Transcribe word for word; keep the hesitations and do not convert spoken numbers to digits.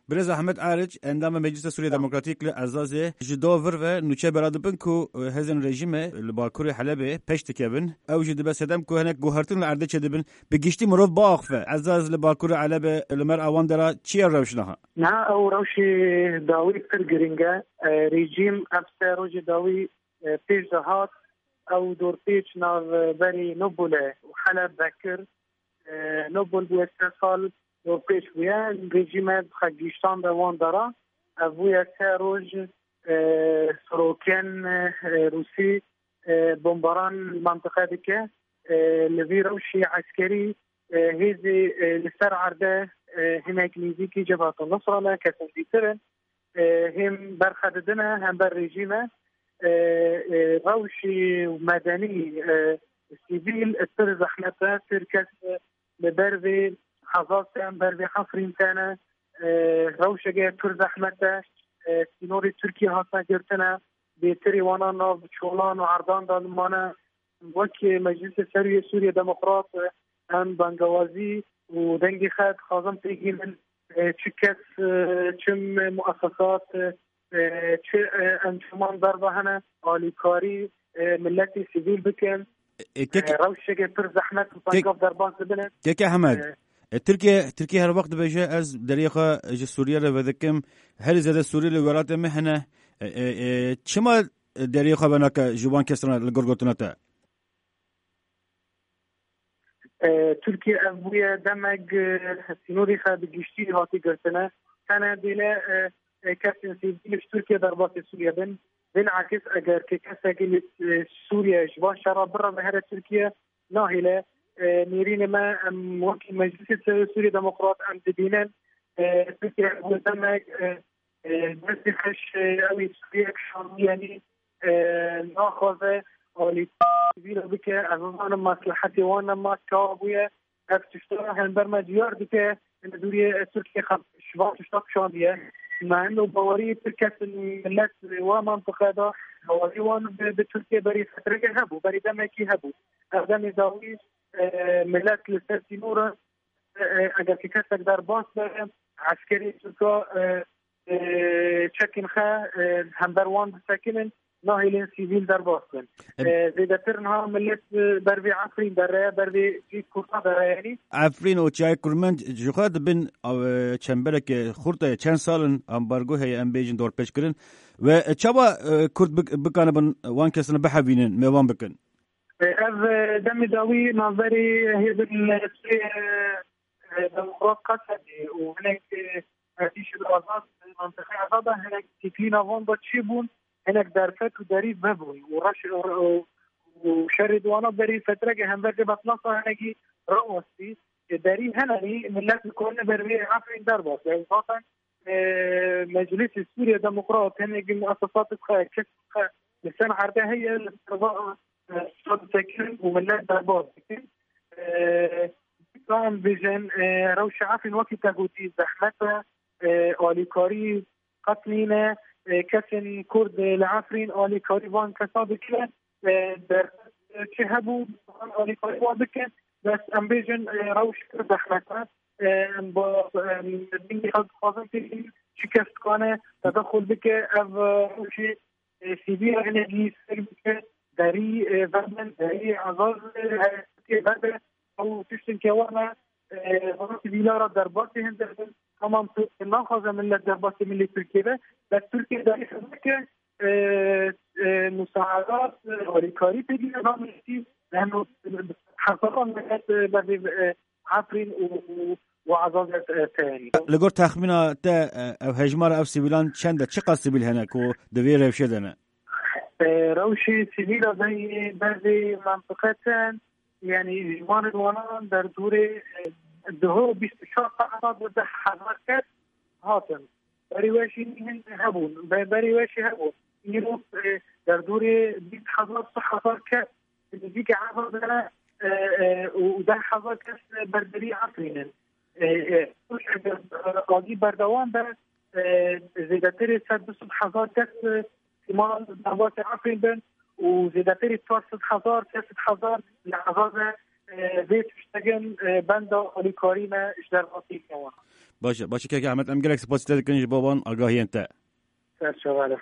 Birêz Ahmet Ariç, endamê Meclisa Sûriya Demokratîk li Ezazê, ji do vir ve nûçe bela dibin ku, e, hêzên rejîmê li bakurê Helebê pêş dikevin. Ew jî dibe sedem ku hinek guhertin li erdê çêdibin. Bi giştî mirov biaxife. Ezaz li bakurê Helebê, li mer awan de ra çi ye rewş niha? Niha ew rewşê dawî pir giring e. E, rejîm ev sê rojê dawî, e, pêş de hat. Ew dorpêç navberî Nobulê û Heleb vekir. E, Nobul bûye sê sal dorpêç bûye. Rejîme xwe gihîştande wan dara. Ev bûye sê roj, e, sirokên, e, Rûsî, e, bombaran li mentiqe dike. E, li vî rewşî eskerî, e, hêzê, e, li ser erde, e, hinek nêzîkî Cebhat Nusra ne, kesên dîtir in. E, hêm berxwe didine hember rejîme. E, e, rewşî medenî, e, sivîl, e, pir zehmet e, pir kes, e, li ber vê Hezaz tên, ber vê Efrîn tene, e, rewşeke pir zehmet e, e, sînorê Tirkiye hatine girtine, bêtirî wana nav çolan û erdan de mane. Wek Meclîsê Serûyê Sûriye Demokrat, em bangewazî û dengê xwe dixwazin pêk hînin, e, çi kes, e, çi muesesat, e, çi, e, encuman derve hene, alîkarî, e, miletê sivîl bikin. E, kek-, E, rewşeke pir zehmet û kek-, pengav derbas dibine. Keke Hemed, E, e, Tirkiye, Tirkiye her wext dibêje, ez deriyê xwe ji Sûriye re vedikim. Herî zêde Sûrî li welatê me hene. E, e, e, çima deriyê xwe venake ji wan kesan re li gor gotina te? E, Tirkiye ev bûye demek, e, sînorê xwe bi giştî hatî girtine. Tene dêle, e, e, kesên sivîl ji Tirkiye derbasî Sûriye bin. Bilakis eger ke kesekî li, e, Sûriye ji van şera bireve here Tirkiye, nahêle, e, nêrînê me em wekî Meclîsê Sûriye Demokrat em dibînin, e, Tirkiye ev demek, e, e, destê xwe ji, e, ew ê Sûriye kişandiye, yanî, e, naxwaze alî sivîl bike. Ez nizanim meslehetê wan ne ma çawa bûye. Ev tişta hember me diyar dike, li dûriyê Tirkiye xwe ji van tişta kişandiye. Me hendo bawerî pir kes in millet wa mentiqe de bawerî wan bi, bi Tirkiye berî fetreke hebû, berî demekî hebû. Ev demê dawî, e, millet li ser sînor e, e, eger ki kesek derbas be, eskerê Tirka, e, e, çekên xwe, e, hember wan disekinin, nahêlin sivîl derbas bin. Em- E, zêdetir niha millet, e, ber vê Efrîn dereye, ber vê cî Kurda dereye, yanî. Efrîn û Çiyayê Kurmend ji xwe dibin, e, çembereke xurt e, çend sal in ambargo heye, em bêjin dorpêçkirin. Ve çawa, e, Kurd bik-, bikanibin wan kesan bihevînin, mêvan bikin? E, ev, e, demê dawî navberê hêzên, e, Sûriye, e, Demokrat Qesedê û hinek, e, hevdî ji Azad, mentiqê Azad de hinek têkilîna van de çêbûn, hinek derfet û derî vebûn û reş, û, û şerê di wana berî fetreke hember vê betlasa hinekî rawestî. E, derî hene, millet dikarine ber vê Efrîn derbas. Ew zaten, e, Meclîsê Sûriye Demokrat, hinekî muesesatê xwe, kes xwe li ser erdê heye, li ser va, e, tişta disekin û millet derbas dikin. E, Em bêjin, e, rewşa Efrîn wekî te gotî zehmet e, e, alîkarî qet nîne, e, kesên Kurd, e, li Efrîn alîkarî van kesa dikine, e, derfet, e, çi hebû, van alîkarî wan bikin, bes em bêjin, e, rewş pir zehmet e. E, em ba, em, dingê xwe dixwazin têkilî, çi kes dikane tedexul bike, ev, e, rewşê, e, sivîl hinekî sêr bike, derî, e, vebe, derî Azaz, e, vebe, ew tiştin ke wana, e, vana sivîla re derbasî hinde bin. Tamam, tu naxwaze millet derbasî milê Tirkiye be, bes Tirkiye derî xizmeke, e, e, musaedat, e, alîkarî pêdî ve milletî, yani, hezaran millet, e, bevê, e, Efrîn û, û, û Azazê, e, teyarî. Li gor texmîna te, e, ev hejmara ev sivîlan çend e? Çiqas sivîl hene ku di vê rewşê de ne? E, rewşê sivîla de yê bervê mentiqe tên, yani, ji wan ê wanan derdorê, e, duho bîst û çar saeta de deh hezar kes hatin. Berî we jî hin hebûn. Be-, berî we jî hebûn. Îro, e, derdorê bîst hezar, sih hezar kes, nêzîkî hezar dene, e, e, û, û deh hezar kes berderî Efrîn in. E, e, eger, e, agî berdewam be, e, zêdetirê sed du sed hezar kes, e, ihtimal derbasî Efrîn bin û zêdetirê çar sed hezar, pênc sed hezar li Ezazê, e, vê tiştegin, e, benda alîkarî ne ji derbasî wan. Baş e, baş e kek Ehmed, em gelek spasî te dikin ji bo van agahiyên te. Ser çava